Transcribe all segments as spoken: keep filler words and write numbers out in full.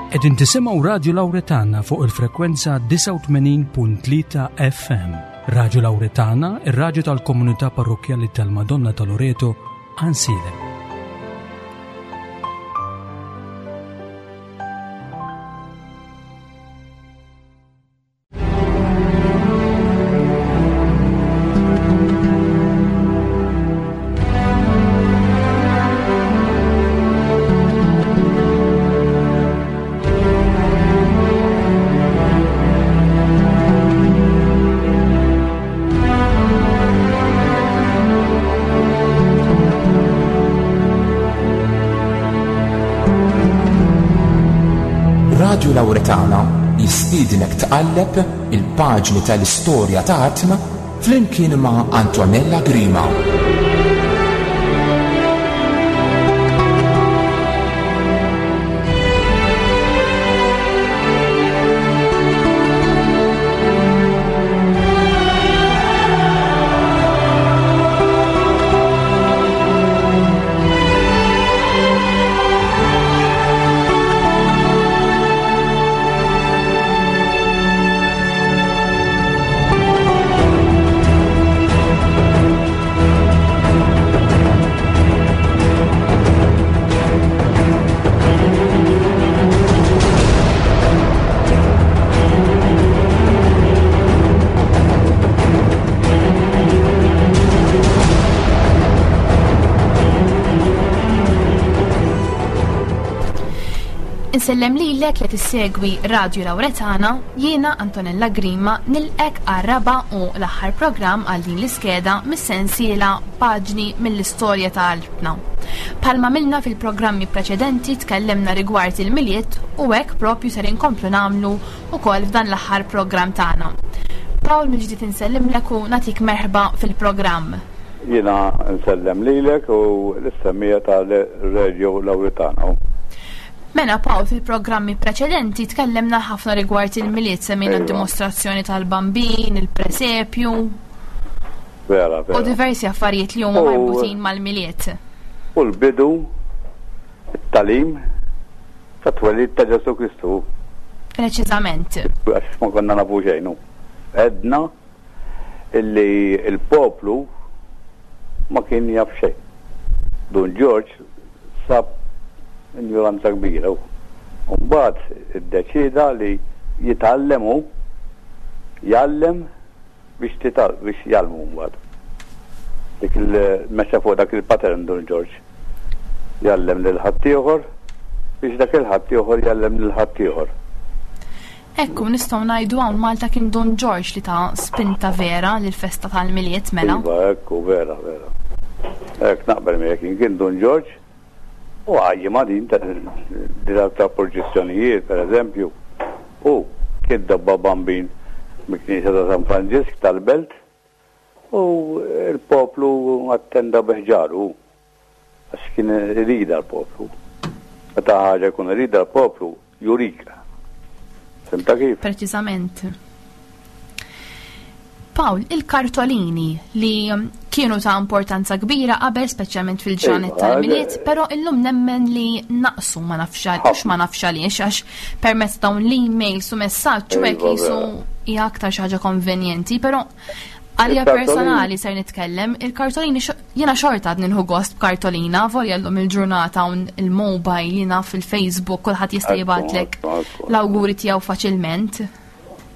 Qegħdin tisimgħu Radju Lawretana fuq il-frekwenza disgħa u tmenin punt tlieta F M. Radju Lawretana, ir-radju tal-komunità parrokkjali tal-Madonna ta' Loreto, Għajnsielem. Radju Lawretana jistiednek tqalleb il-paġni tal-istorja ta' artna flimkien ma' Antonella Grima. Insellem lilek li tissegwi Radju Lawretana, jiena Antonella Grima nilqek għar-raba' u l-aħħar programm għal din l-iskeda mis-sensiela Paġni mill-istorja ta' Altna. Palma milna fil-programmi preċedenti tkellimna rigward il-Milied u hekk propju ser inkomplu nagħmlu wkoll f'dan l-aħħar programm tagħna. Paul, mill-ġdid insellimlek u nagħtik merħba fil-programm. Jiena nsellem lilek u l-istemmija tal-Radju Lawretana. Mela Paul, fil-programmi preċedenti tkellimna ħafna rigward il-Milied, semmejna Ejwa. d-dimostrazzjoni tal-Bambin, il-presepju. Vera, vera. U diversi affarijiet li huma U marbutin mal-Milied. U l-bidu, it-talim tat-twelid ta' Ġesù Kristu. Preċiżament. Għax ma konna nafu xejn. Għedna illi il-poplu ma kien jaf xejn. Dun Ġorġ sab ignoranza kbira. U mbagħad iddeċieda li jitgħallem hu, jgħallem biex tital-, biex jgħallmu mbagħad. Dik il-mexa fuq dak il-pattern Dun Ġorġ. Jgħallem lil ħaddieħor biex dak il-ħaddieħor jgħallem lil ħaddieħor. Ekku, nistgħu ngħidu hawn Malta kien Dun Ġorġ li ta' spinta vera lill-festa tal-Milied, mela? Iva, ekku, vera, vera. Hekk naqbel miegħek, kien Dun Ġorġ u għajji ma din ta' ta' purċissjonijiet, per eżempju, u kien dabba bambin mill-Knisja ta' San Franġisk tal-Belt u l-poplu attenda biħġaru għax kien irida l-poplu. Meta ħaġa jkun irida l-poplu, jurik. Fimta kif? Preċiżament. Paul, il-kartolini li kienu ta' importanza kbira qabel, speċjalment fil-ġranet Iva, tal-Milied, eh, però illum nemmen li naqsu, ma nafx għal-, mhux ma nafx għaliex, għax permezz dawn l-emails u messaġġ u hekk Iva, jisu vera. hija aktar xi ħaġa konvenjenti, però għalija Il-kartolini personali ser nitkellem, il-kartolini xo-, jiena xorta għad nieħu gost b'kartolina, volja llum il-ġurnata hawn il-mobile, jiena fil-Facebook, kulħadd jista' Ekku, jibgħatlek ekku, ekku. l-awguri tiegħu faċilment.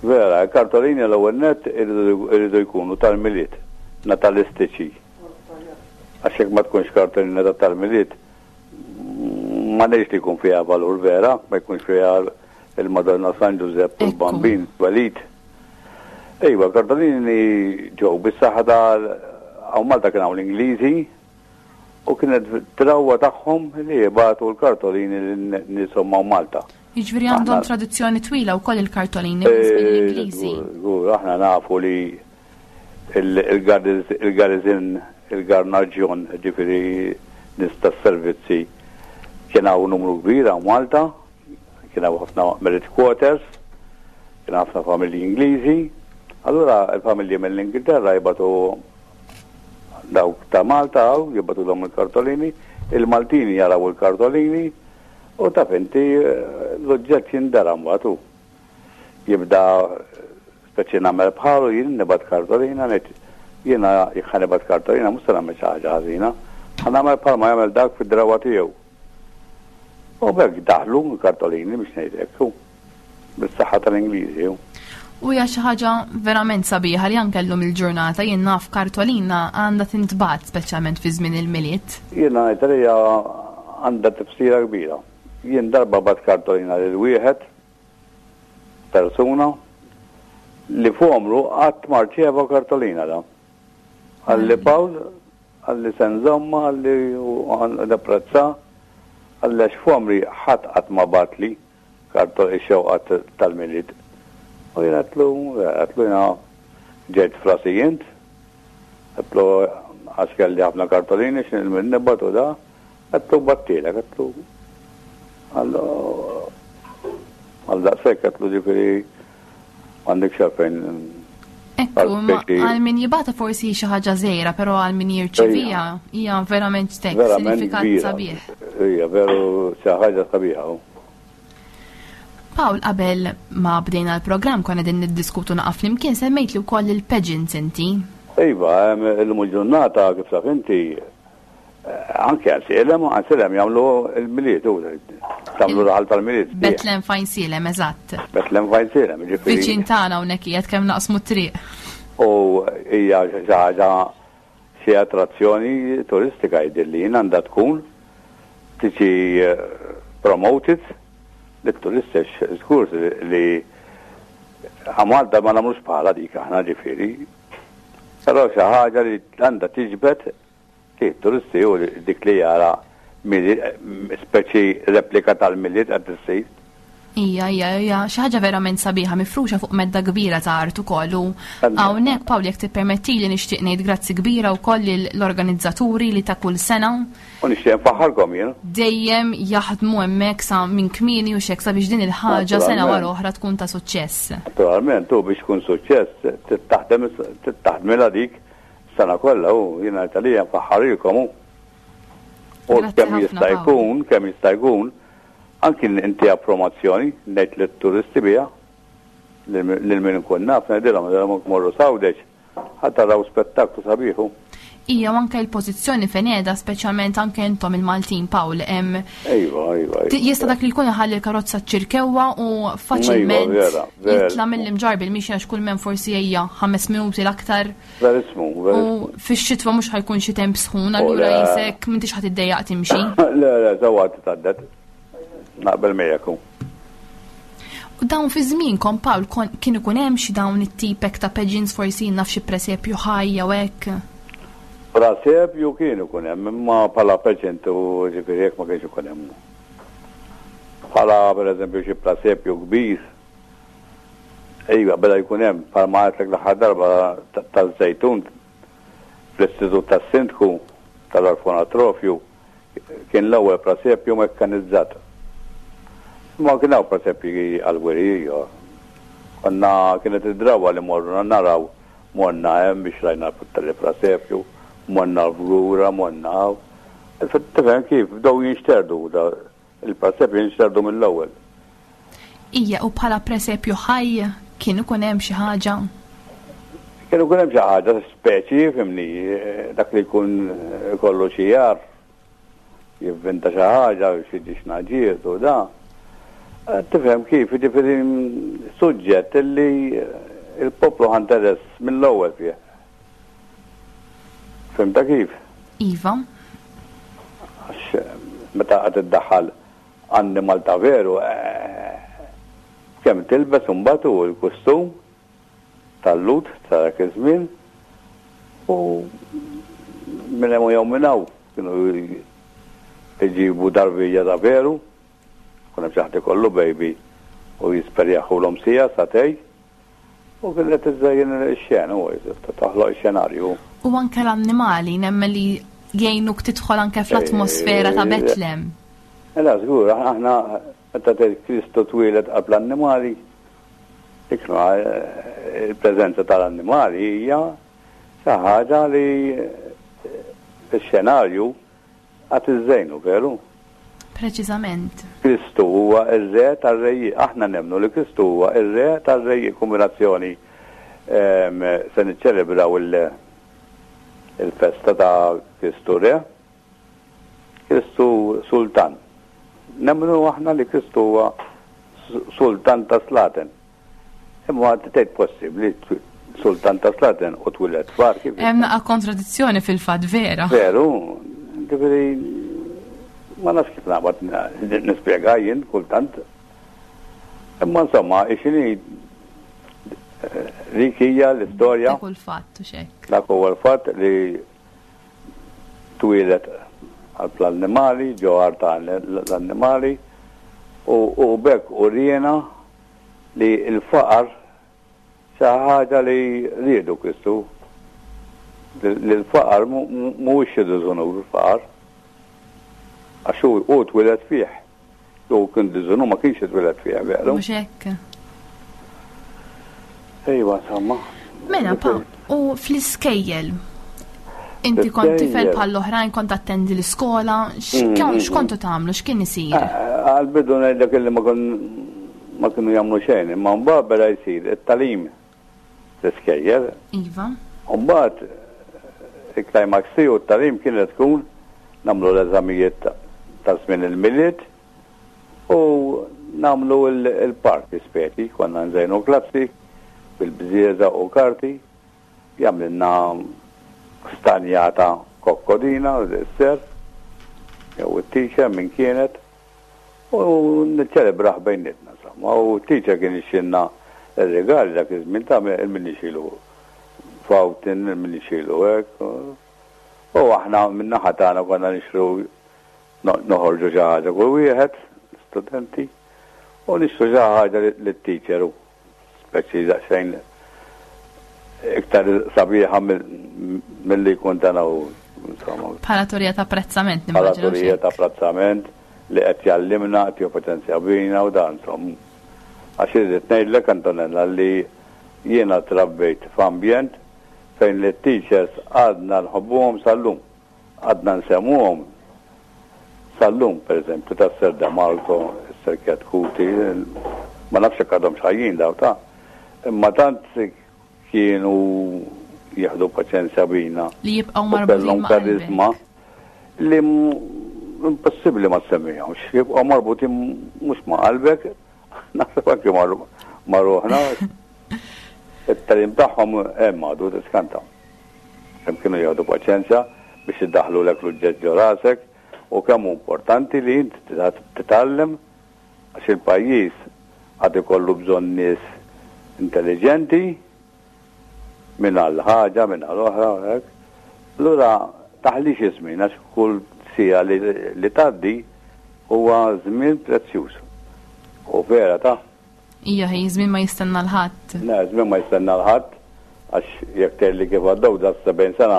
Vera, kartolini l-ewwel nett iridu, iridu jkunu tal-Milied, natalistiċi. Għax jekk ma tkunx kartolina ta' tal-Milied, ma ngħidx li jkun fiha valur vera, ma jkunx fiha il-Madonna San Giuseppe u Ekku. l-Bambin twelid. Ejwa, kartolini ġew bis-saħħa tal hawn Malta kien hawn l-Ingliżi u kienet drawwa tagħhom li jibgħatu l-kartolini lin nieshom hawn Malta. Jiġifieri għandhom Aħna tradizzjoni twila wkoll il-kartolini minn żmien Eh, l-Ingliżi. Żgur, żgur, aħna nafu li il-, il-garniz-, il-garniżin, il-garnaġjon, ġifieri nies tas-servizzi, kien hawn numru kbir hawn Malta, kien hawn ħafna merit quarters, kien hawn ħafna familji Ingliżi. Allura il-familji mill-Ingilterra jibgħatu dawk ta' Malta hawn, jibgħatu dawn il-kartolini, il-Maltini jaraw il-kartolini U taf inti l-oġġett jindara mbagħad hu. Jibda speċi nagħmel bħalu jien nibgħat kartolina ngħid jiena jekk ħa nibgħat kartolina mhux se nagħmel xi ħaġa ħażina, ħa nagħmel bħalma jagħmel dak fid-drawa tiegħu. U b'hekk daħlu l-kartolini biex ngħidlek hu. Bis-saħħa tal-Ingliżi hu. U hija xi ħaġa verament sabiħa li anke llum il-ġurnata jien naf kartolina għandha tintbagħat speċjalment fi żmien il-Milied. Jiena ngħid li hija għandha tifsira kbira. Jien darba bgħatt kartolina lil wieħed persuna li f'għomru qatt ma rċieva kartolina da. Qalli Pawl, qalli se nżommha, qalli napprezza, qalli għax f'għomri ħadd qatt ma bagħatli kartol ix-xewqat tal-Milied. U jien għedtlu, għedtlu jiena ġejt frasi int, għedtlu għax kelli ħafna kartolini x'in nibgħatu da, għedtlu bgħattilek, għedtlu għallu għal daqshekk għedtlu ġifieri m'għandekx għalfejn. Ekku, ma għal min jibgħatha forsi xi ħaġa żgħira, però għal min jirċevija hija verament tek, Verament sinifikat kbira. sabiħ. Hija veru xi ħaġa sabiħa. hu. Pawl, qabel ma bdejna l-programm konna din niddiskutu naqaf flimkien semmejt li wkoll il-pageants inti. Iva, illum il-ġurnata kif taf inti, eh, anke Għajnsielem, Għajnsielem jagħmlu il-Milied, u tagħmlu raħal tal-Milied. Betlem f'Għajnsielem, eżatt. Betlem f'Għajnsielem, ġifieri. Viċin tagħna hawnhekk qiegħed kemm naqsmu t-triq. U hija xi ħaġa xi attrazzjoni turistika jidhirli jien għandha tkun tiġi eh, promoted lit-turisti żgur li Malta ma nagħmlux bħala dik aħna ġifieri. Però xi ħaġa li għandha tiġbed li turisti u dik li jara speċi replika tal-Milied qed issir. Ija, ija, ija, xi ħaġa verament sabiħa mifruxa fuq medda kbira ta' art ukoll u hawnhekk Pawl jekk tippermettili nixtieq ngħid grazzi kbira wkoll l-organizzaturi li ta' kull sena U nixtieq nfaħħarkom jien. dejjem jaħdmu hemmhekk sa minn kmieni u xek sabiex din il-ħaġa sena wara oħra tkun ta' suċċess. Naturalment, u biex tkun suċċess, taħdem taħdmilha dik sena kollha u jiena Italija nfaħħarilkom u. U Grazzi kemm ħafna, jista' Pawl. jkun, kemm jista' jkun, anki inti promozzjoni ngħid lit-turisti biha, lil min ikun naf ngħidilhom ngħidilhom morru s'Għawdex, ħa taraw spettaklu sabiħu. Ija u anke l-pożizzjoni fejn qiegħda speċjalment anke intom il-Maltin Pawl hemm Ejwa, ejwa. Ti- Jista' dak li jkun iħalli l-karozza ċ-Ċirkewwa u faċilment Ejwa, vera, vera. jitla' mill-Imġarr bil-mixja għax kull men forsi hija ħames minuti l-aktar Verismu, u verismu. fix-xitwa mhux ħa jkun xi temp sħun, allura le. jisek m'intix ħa tiddejjaq timxi. Le, le, sewwa titgħaddet. Naqbel miegħek. U dawn fi żmienkom Pawl kon- kien ikun hemm xi dawn it-tipek ta' pageants forsi naf xi presepju ħaj jew hekk. Presepju kien ikun hemm, imma bħala pageant u ġifieri jekk ma kienx ikun hemm. Bħala pereżempju xi presepju kbir. Ejwa, beda jkun hemm bħalma għedtlek l-aħħar darba ta- taż-Żejtun fl-Istitut tas-Sindku tal-Orfanatrofju kien l-ewwel presepju mekkanizzat. Ma kien hawn presepji għall-wiri, jo. Konna kienet id-drawa li morru naraw morna hemm biex rajna tal-presepju, morna l-Fgura, morna hawn. Tifhem kif bdew jinxterdu da il-presepju jinxterdu mill-ewwel. Ija u bħala presepju ħaj kien ikun hemm xi ħaġa. Kien ikun hemm xi ħaġa speċi, fhimni, dak li jkun kollu xi jar, jivvinta xi ħaġa, xi dixnaġiet u da. Tifhem kif, ġifieri suġġett illi il-poplu ħa interess mill-ewwel fih. Fhimta kif? Iva. Għax meta qed iddaħħal annimal ta' veru, eh, kemm tilbes imbagħad u l-kustum tal-Lhud ta' dak iż-żmien u minn hemm u jew minn hawn kienu jġibu tarbija ta' veru, kun hemm xi ħadd ikollu baby u jisperjaħulhom sija sagħtejn u kienet iżżejjen ix-xena u toħloq ix-xenarju. U anke l-annimali nemmen li jgħinuk tidħol anke fl-atmosfera ta' Betlem. Ela, żgur, aħna meta tgħid Kristu twieled qabel l-annimali, iknu il-preżenza tal-annimali hija xi ħaġa li x-xenarju għad iżżejnu, veru? Preċiżament. Kristu huwa ir-re tar-rejiet. Aħna nemmnu li Kristu huwa ir-re tar-rejiet. Kombinazzjoni se niċċelebraw il-festa ta' Kristu Re, Kristu Sultan. Nemmnu aħna li Kristu huwa Sultan ta' Slaten. Imma tgħid possibbli Sultan ta' Slaten u twieled far kif? Hemm naqa' kontradizzjoni fil-fatt, vera. Veru, ġifieri ma nafx kif naqbad nispjega jien kultant. Imma insomma, x'inhi dik hija l-istorja. Dak hu l-fatt u xek. Dak huwa l-fatt li twieled għal l-annimali, ġo ta' l-annimali, u bekk uriena li l-faqar xi ħaġa li riedu Kristu. Li l-faqar mhuwiex xi diżunur il-faqar. Għax hu twieled fih. Hu kien diżunur ma kienx twieled fih, veru? Mhux hekk. Ejwa, insomma. Mela, pa, u fl-iskejjel, inti kont tifel bħall-oħrajn, kont attendi l-iskola, x'kontu tagħmlu, x'kien isir? Għal-bidu ngħidlek illi ma ma kienu jagħmlu xejn, imma mbagħad beda jsir it-tagħlim l-iskejjel. Iva. U mbagħad il-climax tiegħu t-tagħlim kienet tkun nagħmlu l-eżamijiet ta' żmien il-Milied u nagħmlu il-party speċi, konna nżejnu klassi bil-bżieżaq u karti, jagħmlilna stanjata kokkodina, s-ser, jew it-teacher minn kienet, u niċċelebraħ bejnietna, insomma. U t-teacher kien ixxinna il-regali dak iż-żmien ta' il-min ixilu fountain, il-min ixilu hekk. U aħna min-naħa tagħna konna nixtru, noħorġu xi ħaġa kull wieħed, studenti, u nixtru xi ħaġa lit-teacher u speċi daqsxejn iktar sabiħa mill-li jkun tana u insomma. Bħala turija ta' apprezzament, Bħala nimmaġina. turija ta' apprezzament li qed jallimna, qed jippotenzja bina u dan, insomma. Għax irrid ngħidlek, Antonella, li jiena trabbejt f'ambjent fejn li teachers għadna nħobbuhom sal-lum. Għadna nsemmuhom sal-lum, per eżempju, ta' Sir Marco, Sir Kuti, ma nafx jekk għadhom ħajjin daw ta' imma tant kienu jieħdu paċenzja bina. Li jibqgħu u marbutin kellhom ma' karizma qalbek. li m- impossibbli ma semmihomx. Jibqgħu marbutin mhux ma' qalbek, naħseb anke ma' ma' ruħna. It-tagħlim tagħhom hemm għadu tiskanta. Kemm kienu jieħdu paċenzja biex iddaħħlulek l-uġġett ġo rasek u kemm hu importanti li inti titgħallem għax il-pajjiż għad ikollu bżonn nies intelligenti minn għal ħaġa, minn għal oħra, hekk. Allura taħlix iż-żmien għax kull siegħa li, li tgħaddi huwa żmien prezzjuż. U vera ta' Ija, hi, żmien ma jistenna l-ħadd. Le, żmien ma jistenna l-ħadd għax jekk tgħidli kif għaddew da sebgħin sena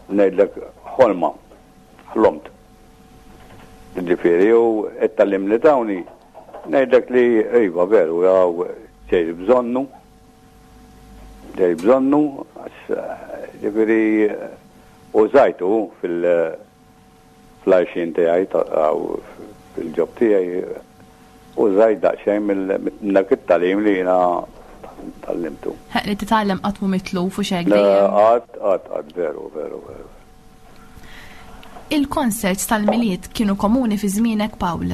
ngħidlek ħolma, ħlomt. Ġifieri u it-tagħlim li tawni ngħidlek li iva veru jew ġej bżonnu, ġej bżonnu għax ġifieri użajtu fil- fl-għajxien tiegħi fil-job tiegħi użajt daqsxejn minn dak it-tagħlim li jiena tgħallimtu. Li titgħallem qatt mhu mitluf u xek Le, dejjem. Qatt, qatt, qatt, veru, veru, veru. Il-concerts tal-Milied kienu komuni fi żmienek, Pawl?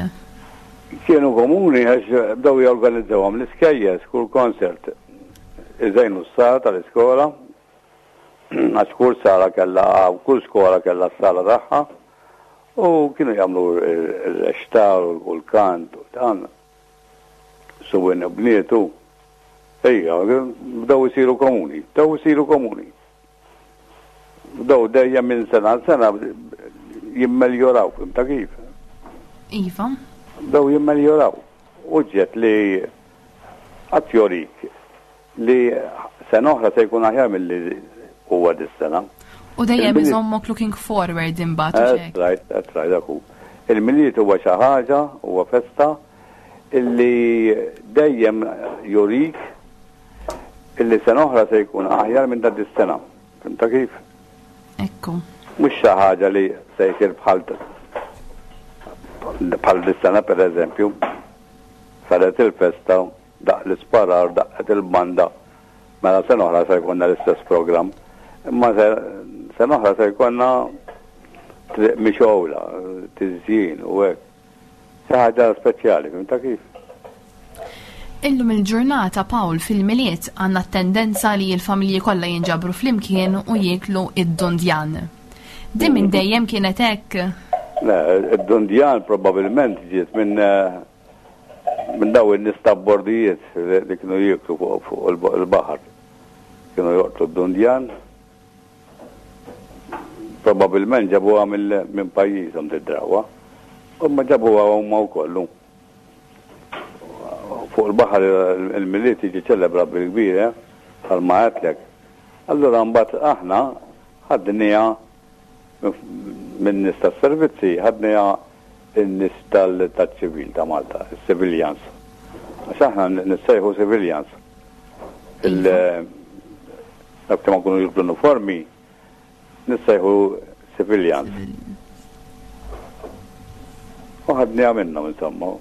Kienu komuni għax bdew jorganizzawhom l-iskejjel kull concert. Iżejnu s-sala tal-iskola, għax kull sala kellha, kull skola kellha s-sala tagħha, u kienu jagħmlu ir-recital u l-kant u dan. Subien u bnietu. Ejja, bdew isiru komuni, bdew isiru komuni. Bdew dejjem minn sena għal sena jimmeljoraw, ta' kif? Iva. Bdew jimmeljoraw. Uġġet li għat jorik li sena oħra se jkun aħjar mill-li huwa dis-sena. U dejjem Il-Milied- iżommok looking forward imbagħad u That's xek. right, that's right, dak hu. Il-Milied huwa xi ħaġa, huwa festa illi dejjem jurik illi sena oħra se jkun aħjar minn ta' dis-sena. Fhimta kif? Ekku. Mhux xi ħaġa li se jsir bħal Bħal dis-sena per eżempju, saret il-festa, daqq l-isparar, daqqet il-banda, mela sena oħra se jkollna l-istess programm. Imma sena oħra se jkollna triq mixgħula, tiżjin u hekk. Xi ħaġa speċjali, fhimtha kif? Illum il-ġurnata, Paul, fil-Milied għandna tendenza li l-familji kollha jinġabru flimkien u jieklu id-dundjan. Din minn dejjem kienet hekk? Le, id-dundjan probabbilment ġiet minn minn daw in-nies ta' bordijiet li kienu jieklu fuq il-baħar. Kienu joqtlu d-dundjan. Probabbilment ġabuha minn pajjiżhom d-drawwa. U ma ġabuha huma wkoll. Fuq il-baħar il-Milied jiġi ċelebra bil-kbir, eh? Bħalma għedtlek. Allura mbagħad aħna ħadniha minn nies tas-servizzi, ħadniha in-nies tal-ċivil ta' Malta, il-civilians. Għax aħna nissejħu civilians. Dak ma kunu jibdu uniformi, nissejħu civilians. U ħadniha minnhom insomma.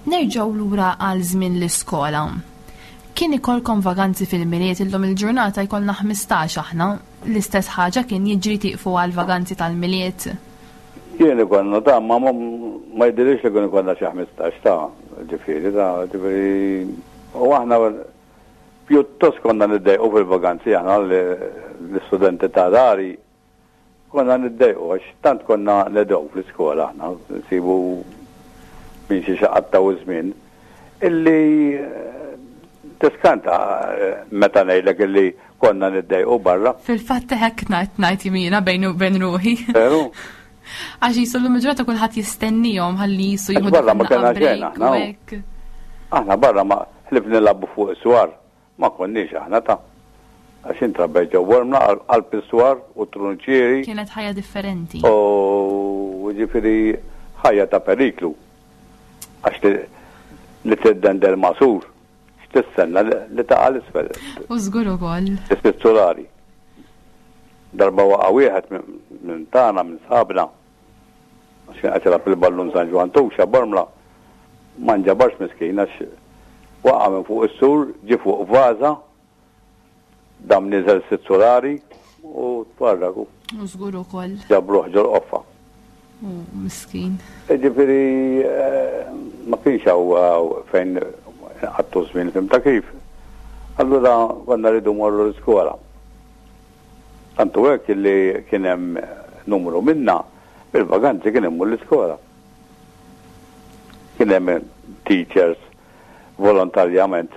Nerġgħu lura għal żmien l-iskola. Kien ikolkom vaganzi fil-Milied? Illum il-ġurnata jkollna ħmistax aħna. L-istess ħaġa kien jiġri, tiqfu għal vaganzi tal-Milied? Kien ikollna ta' ma ma jidhirlix li kien ikollna xi ħmistax ta' ġifieri ta' ġifieri u aħna pjuttost konna niddejqu fil-vaganzi, aħna l-istudenti ta' dari konna niddejqu għax tant konna nedew fl-iskola, aħna nsibu minn xi xaqattaw żmien illi tiskanta meta ngħidlek illi konna niddejqu barra. Fil-fatt hekk ngħid ngħid jimina bejn u bejn ruħi. Veru? Għax jisu l-lum il-ġurnata kulħadd jistennihom ħalli jisu jieħu Barra ma kellna xejn aħna. Aħna barra ma ħlief nilagħbu fuq is-swar ma konniex aħna ta'. Għax intrabbejt ġo Bormla qalb is-swar u trunċieri. Kienet ħajja differenti. U ġifieri ħajja ta' periklu. Għax li tiddendel ma' sur, x'tistenna li taqa' l-isfel. U żgur ukoll. Is-solari. Darba waqa' wieħed minn tagħna, minn sħabna. Għax kien qed jilgħab il-ballun San Ġwann Tuxa Bormla. Ma nġabarx miskin għax waqa' minn fuq is-sur, ġie fuq vaża, dam niżel sitt solari u tfarraku. U żgur ukoll. Ġabruh ġol-qoffa. U miskin. Ġifieri ma kienx hawn fejn għattu żmien, fhimtha kif. Allura konna rridu morru l-iskola. Tantu hekk illi kien hemm numru minna bil-vaganzi kien immur l-iskola. Kien hemm teachers volontarjament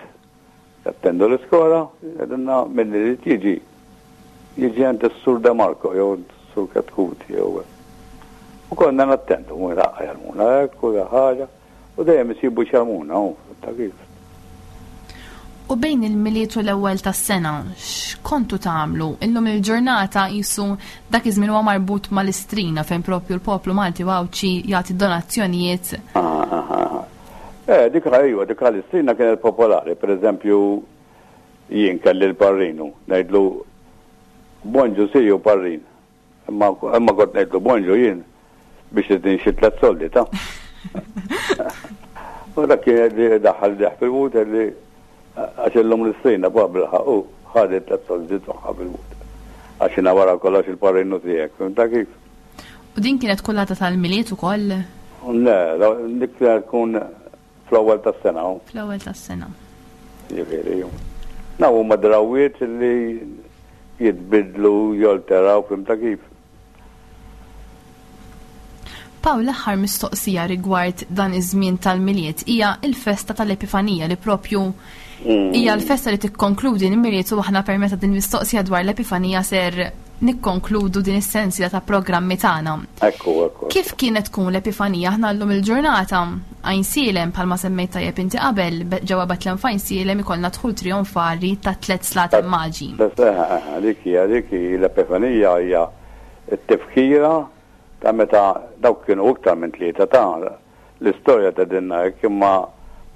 jattendu l-iskola, jgħidulna min irid jiġi. Jiġi għand is-Sur De Marco jew s-Sur Katkuti jew. U konna nattendu, mu raqqa jgħallmuna hekk u ħaġa, u dejjem isibu x'jgħallmuna, u ta' kif. U bejn il-Milied u l-ewwel tas-sena, x'kontu tagħmlu? Illum il-ġurnata jisu dak iż-żmien huwa marbut mal-Istrina fejn propju l-poplu Malti u Għawdxi jagħti donazzjonijiet. Ah, ah, ah. Eh, dik ejwa, dik l-Istrina kienet popolari. Per eżempju, jien kelli l-parrinu, ngħidlu bonġu siju parrin. Imma imma kont ngħidlu bonġu jien biex tidin xi tliet soldi ta'. U dak kien li daħal deħ fil-but li għax illum l-Istrina pa bilħaq u ħadet tliet soldi tagħha fil-but. Għax jiena wara kollox il-parrinu tiegħek, fhimtha kif? U din kienet kull għada tal-Milied ukoll? Le, dik kienet tkun fl-ewwel tas-sena. Fl-ewwel tas-sena. Ġifieri. Naw huma drawwiet li jitbidlu, jolteraw, fhimtha kif. Pawl, l-aħħar mistoqsija rigward dan iż-żmien tal-Milied hija l-festa tal-Epifanija li propju hija l-festa li tikkonkludi l-Milied, u aħna permezz ta' din mistoqsija dwar l-Epifanija ser nikkonkludu din is-sensiela ta' programmi tagħna. Ekku, ekku. Kif kienet tkun l-Epifanija? Aħna llum il-ġurnata Għajnsielem, bħalma semmejt tajjeb inti qabel, ġewwa Betlem f'Għajnsielem ikollna dħul trionfali ta' tliet slaten maġi. Dik hija, dik hi l-Epifanija, hija t-tifkira ta' meta dawk kienu iktar minn tlieta ta' l-istorja ta' dinna hekk, imma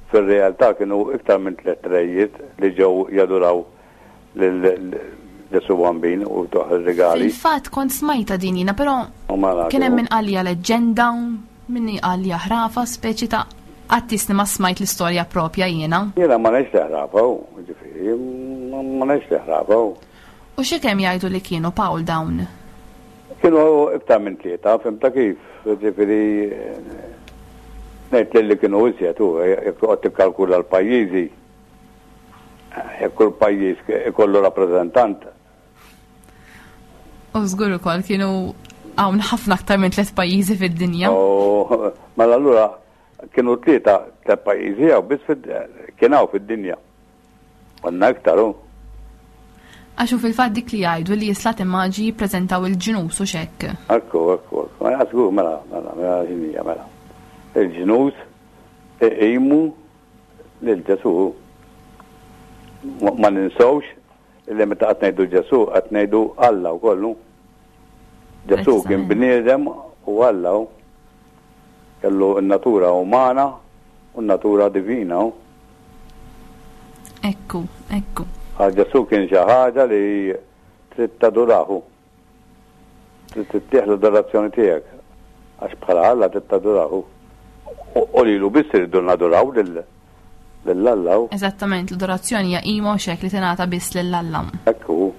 fir-realtà kienu iktar minn tliet rejiet li ġew jaduraw lil Ġesu Bambin u tuħ ir-rigali. Fil-fatt kont smajta din jiena, però U mela, kien hemm min qalli leġġenda, min qalli ħrafa, speċi ta' għattisni ma smajt l-istorja propja jiena. Jiena ma ngħidx li ħrafa, ġifieri, ma ngħidx li ħrafa. U xi kemm jgħidu li kienu Paul dawn? Kienu iktar minn tlieta, fhimta kif, ġifieri ngħid li kienu iżjed u jekk toqgħod tikkalkula l-pajjiżi, jekk kull pajjiż ikollu rappreżentant. U żgur ukoll kienu hawn ħafna aktar minn tliet pajjiżi fid-dinja. U mela allura kienu tlieta tliet pajjiżi hawn biss kien hawn fid-dinja. Konna iktar hu. Għax hu fil-fatt dik li jgħidu li jislat immaġi jippreżentaw il-ġnus u xekk. Ekku, ekku, ekku. Ma żgur mela, mela, mela x'inhija mela. Il-ġnus iqimu lil Ġesu. Ma ninsewx li meta qed ngħidu Ġesu qed ngħidu Alla wkoll. Ġesu kien bniedem u Alla kellu n-natura umana u n-natura divina. Ekku, ekku. Għal Ġesu kien xi ħaġa li trid tadurahu. Trid tittieħ l-adorazzjoni tiegħek. Għax bħala Alla trid tadurahu. U lilu biss irridu naduraw lil Alla. Eżattament, l-adorazzjoni hija qima u xek li tingħata biss lil Alla. Ekku.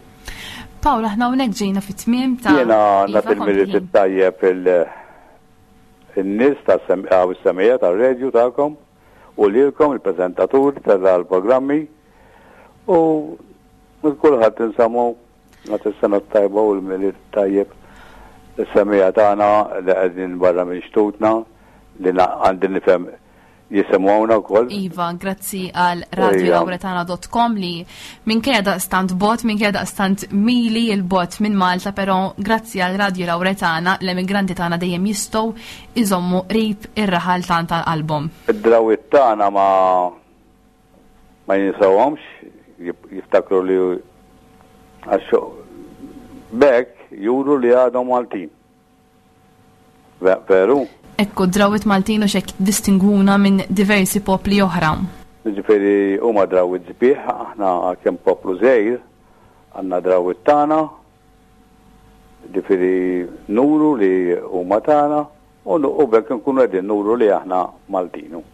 Pawl, aħna hawnhekk ġejna fit-tmiem ta' Jiena nagħti l-Milied it-tajjeb il-nies tas-semija tar-radju tagħkom u lilkom il-preżentaturi tal-programmi u kulħadd insamu nagħti s-sena t-tajba u l-Milied tajjeb is-semija tagħna li qegħdin barra minn xtutna li għandi nifhem jisimgħuna wkoll. Iva, grazzi għal radio lauretana dot com li minkejja daqstant bot, minkejja daqstant mili il-bot minn Malta, però grazzi għal Radio Lauretana l-emigranti tagħna dejjem jistgħu iżommu qrib ir-raħal tant tal-album. Id-drawwiet tagħna ma ma jinsawhomx, jiftakru li għax bekk juru li għadhom Maltin. Veru? Ekku, drawwiet Maltin u xek distinguna minn diversi popli oħra. Ġifieri huma drawwiet sbieħ, aħna kemm poplu żgħir, għandna drawwiet tagħna, ġifieri nuru li huma tagħna u bekk nkunu qegħdin nuru li aħna Maltinu.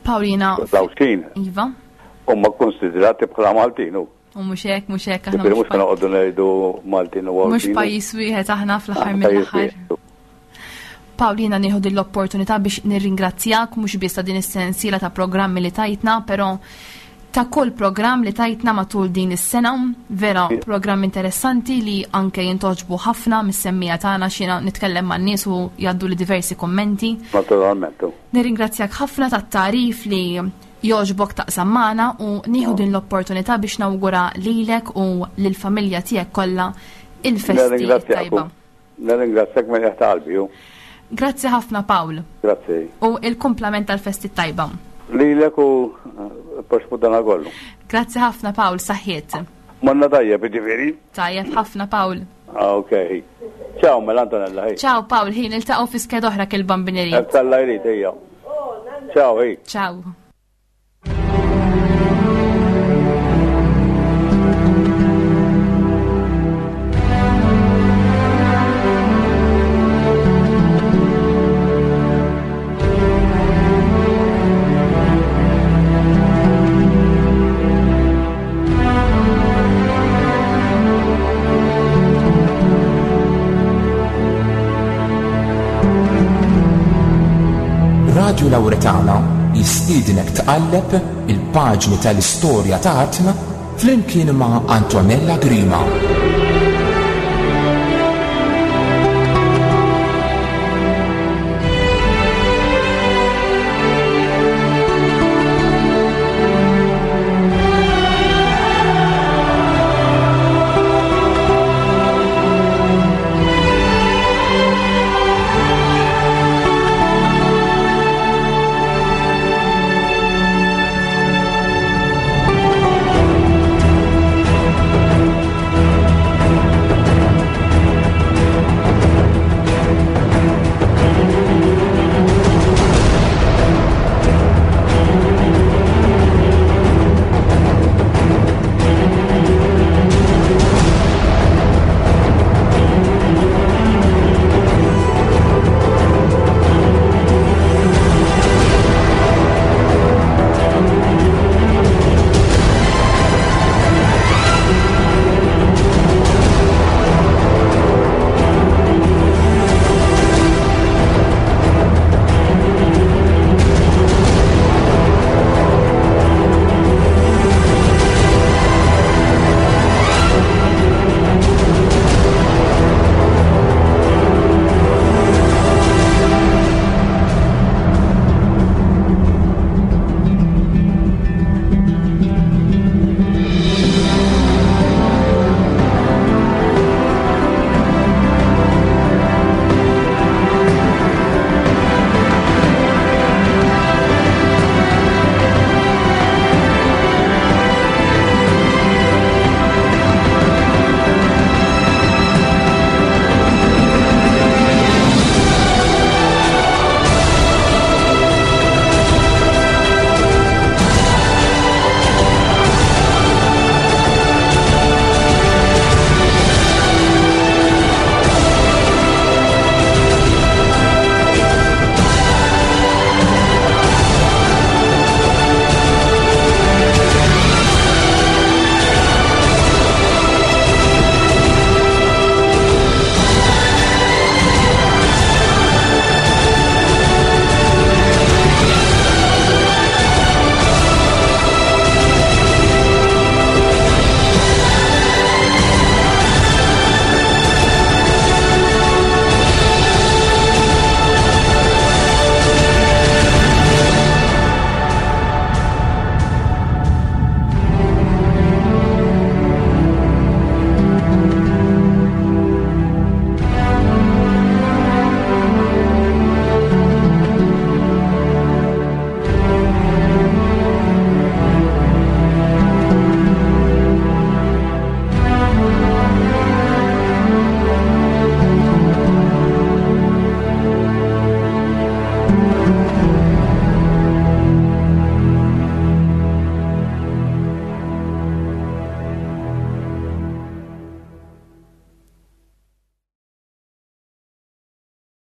Paulina. Lawxin. Iva. Huma konsidrati bħala Maltinu. U mhux hekk, mhux hekk aħna. Ġifieri mhux noqogħdu ngħidu Maltin u Għawdxin. Mhux pajjiż wieħed aħna fl-aħħar mill-aħħar. Paulina, nieħu din l-opportunità biex nirringrazzjak mhux biss ta' din is-sensiela ta' programmi li tajtna, però ta' kull programm li tajtna matul din is-sena, vera programm interessanti li anke jintoġbu ħafna mis-semmija tagħna xina nitkellem man-nies u jgħaddu li diversi kummenti. Naturalment. Nirringrazzjak ħafna tat-tarif li jogħġbok taqsam magħna u nieħu din l-opportunità biex nawgura lilek u lill-familja tiegħek kollha il-festi tajba. Nirringrazzjak minn taħt qalbi. Grazzi ħafna Pawl. Grazzi. U il-kumplament tal-festi tajba. Lilek u proxmu dana kollu. Grazzi ħafna Pawl, saħħiet. Monna tajjeb, ġifieri. Tajjeb ħafna Pawl. Ah, ok. Ciao mela Antonella, ħej. Ciao Pawl, ħin niltaqgħu fi skeda oħra kil-bambineri. Alla jrid ejja. Ciao, ħej. Ciao. Radio Lauretana jistiednek tqalleb il-paġni tal-istorja ta' artna flimkien ma' Antonella Grima.